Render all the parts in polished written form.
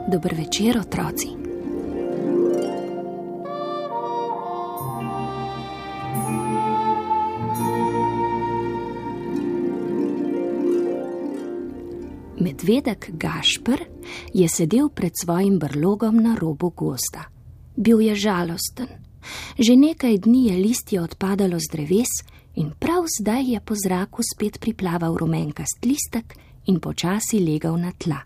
Dober večer, otroci. Medvedek Gašper je sedel pred svojim brlogom na robu gozda. Bil je žalosten. Že nekaj dni je listje odpadalo z dreves in prav zdaj je po zraku spet priplaval rumenkast listek in počasi legal na tla.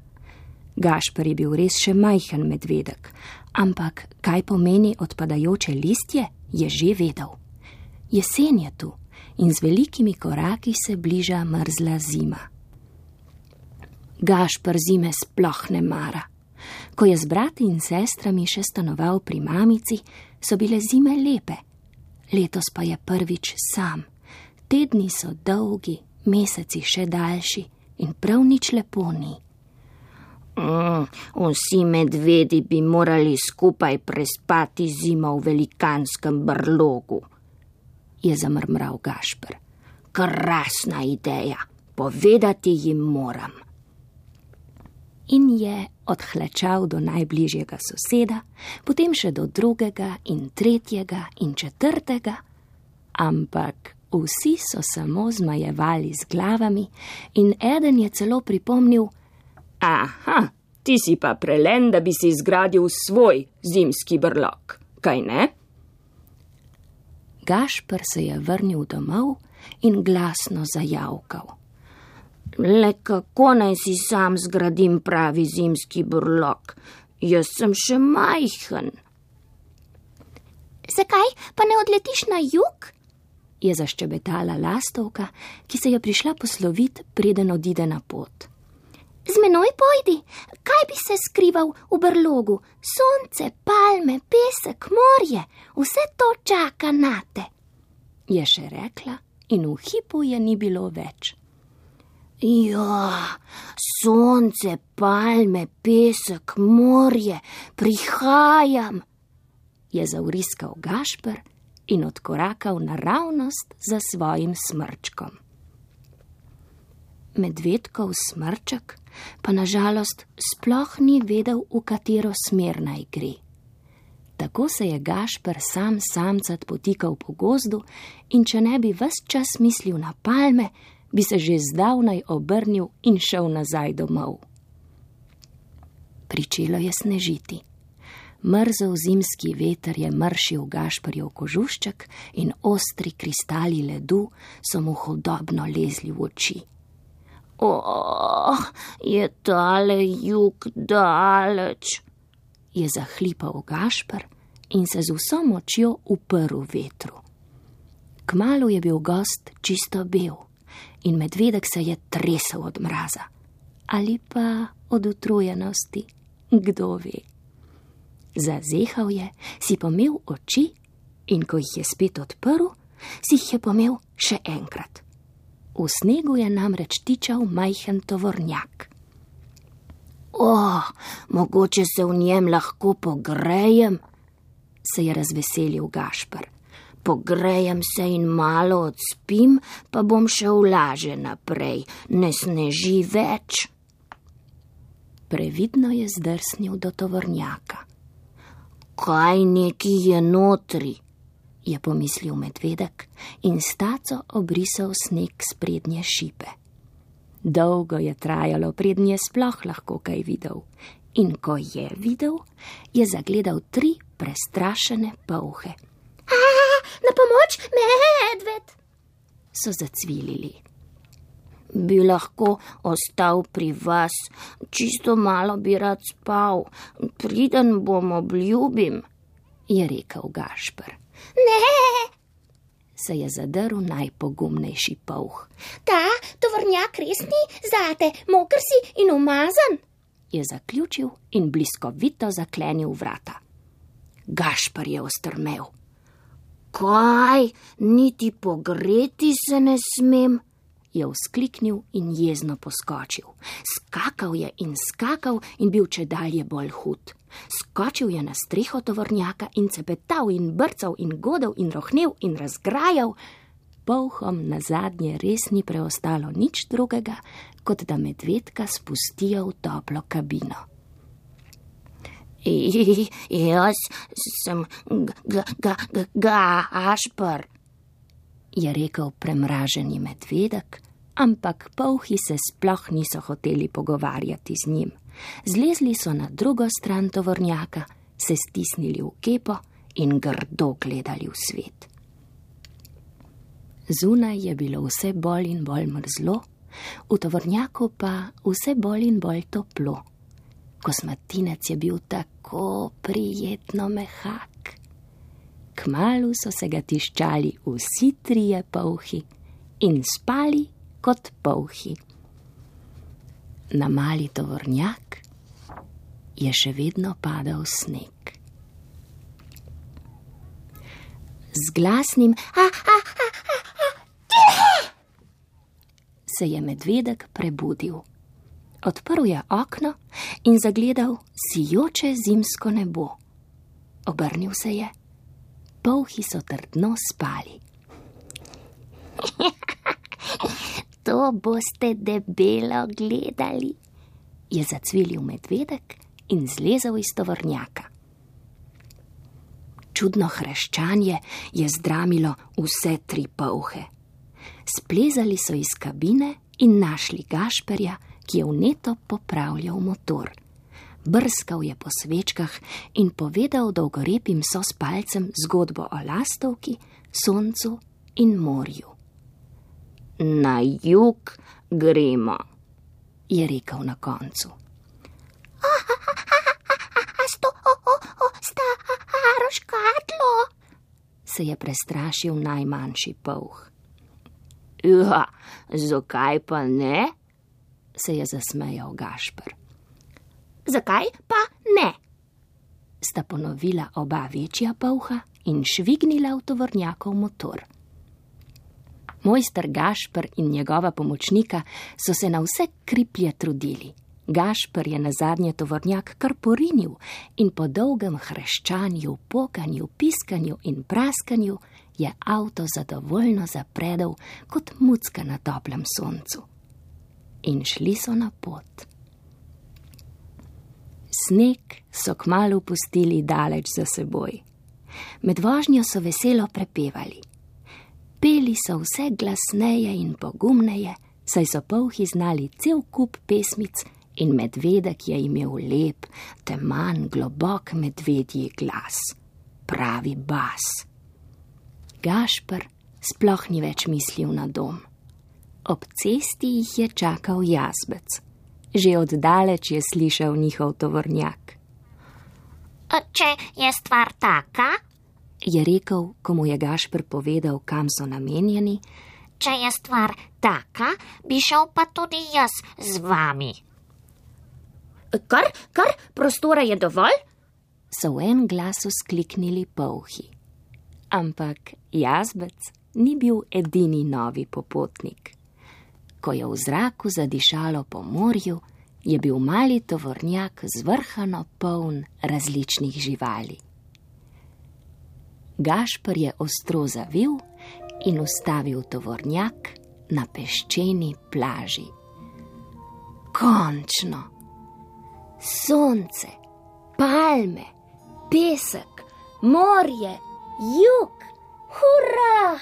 Gašper je bil res še majhen medvedek, ampak kaj pomeni odpadajoče listje, je že vedel. Jesen je tu in z velikimi koraki se bliža mrzla zima. Gašper zime sploh ne mara. Ko je z brati in sestrami še stanoval pri mamici, so bile zime lepe. Letos pa je prvič sam. Tedni so dolgi, meseci še daljši in prav nič lepo ni. Vsi medvedi bi morali skupaj prespati zimo v velikanskem brlogu, je zamrmral Gašper. Krasna ideja, povedati jim moram. In je odhlečal do najbližjega soseda, potem še do drugega in tretjega in četrtega, ampak vsi so samo zmajevali z glavami in eden je celo pripomnil: Aha, ti si pa prelen, da bi si zgradil svoj zimski brlog, kaj ne? Gašper se je vrnil domov in glasno zajavkal. Le kako naj si sam zgradim pravi zimski brlog? Jaz sem še majhen. Zakaj pa ne odletiš na jug? Je zaščebetala lastovka, ki se je prišla poslovit, preden odide na pot. Z menoj pojdi, kaj bi se skrival v brlogu? Sonce, palme, pesek, morje, vse to čaka nate, je še rekla in v hipu je ni bilo več. Ja, sonce, palme, pesek, morje, prihajam, je zavriskal Gašper in odkorakal naravnost za svojim smrčkom. Medvedkov smrček pa na žalost sploh ni vedel, v katero smer naj gre. Tako se je Gašper sam samcat potikal po gozdu in če ne bi ves čas mislil na palme, bi se že zdavnaj obrnil in šel nazaj domov. Pričelo je snežiti. Mrzel zimski veter je mršil Gašperjev kožušček in ostri kristali ledu so mu hudobno lezli v oči. Je tale jug daleč, je zahlipal Gašper in se z vso močjo uprl vetru. Kmalu je bil gost čisto bel in medvedek se je tresel od mraza. Ali pa od utrujenosti, kdo ve. Zazehal je, si pomel oči in ko jih je spet odprl, si jih je pomel še enkrat. V snegu je namreč tičal majhen tovornjak. Mogoče se v njem lahko pogrejem, se je razveselil Gašper. Pogrejem se in malo odspim, pa bom šel laže naprej, ne sneži več. Previdno je zdrsnil do tovornjaka. Kaj neki je notri? Je pomislil medvedek in s taco obrisal sneg s prednje šipe. Dolgo je trajalo, preden je sploh lahko kaj videl. In ko je videl, je zagledal 3 prestrašene polhe. Na pomoč, medved! So zacvilili. Bi lahko ostal pri vas, čisto malo bi rad spal, priden bom obljubim, je rekel Gašper. Ne, se je zadrl najpogumnejši polh. Ta tovornjak res ni zate, moker si in umazan, je zaključil in bliskovito zaklenil vrata. Gašper je ostrmel. Kaj, niti pogreti se ne smem? Je vzkliknil in jezno poskočil. Skakal je in bil čedalje bolj hud. Skočil je na streho tovornjaka in cepetal in brcal in godel in rohnel in razgrajal. Polhom nazadnje res ni preostalo nič drugega, kot da medvedka spustijo v toplo kabino. Jaz sem Gašper, je rekel premraženi medvedek, ampak polhi se sploh niso hoteli pogovarjati z njim. Zlezli so na drugo stran tovornjaka, se stisnili v kepo in grdo gledali v svet. Zunaj je bilo vse bolj in bolj mrzlo, v tovornjaku pa vse bolj in bolj toplo. Kosmatinec je bil tako prijetno mehak. Kmalu so se ga tiščali vsi trije polhi in spali kot polhi. Na mali tovornjak je še vedno padal sneg. Z glasnim se je medvedek prebudil. Odprl je okno in zagledal sijoče zimsko nebo. Obrnil se je. Polhi so trdno spali. To boste debelo gledali, je zacvilil medvedek in zlezel iz tovornjaka. Čudno hreščanje je zdramilo vse tri polhe. Splezali so iz kabine in našli Gašperja, ki je vneto popravljal motor. Brskal je po svečkah in povedal dolgorepim sospalcem zgodbo o lastovki, soncu in morju. Na jug gremo, je rekel na koncu. Staro škatlo, se je prestrašil najmanjši polh. Ja, zakaj pa ne? Se je zasmejal Gašper. Zakaj pa ne? Sta ponovila oba večja polha in švignila v tovornjakov motor. Mojster Gašper in njegova pomočnika so se na vse kriplje trudili. Gašper je nazadnje tovornjak kar porinil in po dolgem hreščanju, pokanju, piskanju in praskanju je avto zadovoljno zapredel kot mucka na toplem soncu. In šli so na pot. Sneg so kmalu pustili daleč za seboj. Med vožnjo so veselo prepevali. Peli so vse glasneje in pogumneje, saj so polhi znali cel kup pesmic in medvedek je imel lep, teman, globok medvedji glas. Pravi bas. Gašper sploh ni več mislil na dom. Ob cesti jih je čakal jazbec. Že oddaleč je slišal njihov tovornjak. Če je stvar taka, je rekel, ko mu je Gašper povedal, kam so namenjeni. Če je stvar taka, bi šel pa tudi jaz z vami. Kar, prostora je dovolj? So v en glas vzkliknili polhi. Ampak jazbec ni bil edini novi popotnik. Ko je v zraku zadišalo po morju, je bil mali tovornjak zvrhano poln različnih živali. Gašper je ostro zavil in ustavil tovornjak na peščeni plaži. Končno! Sonce, palme, pesek, morje, jug, hurra!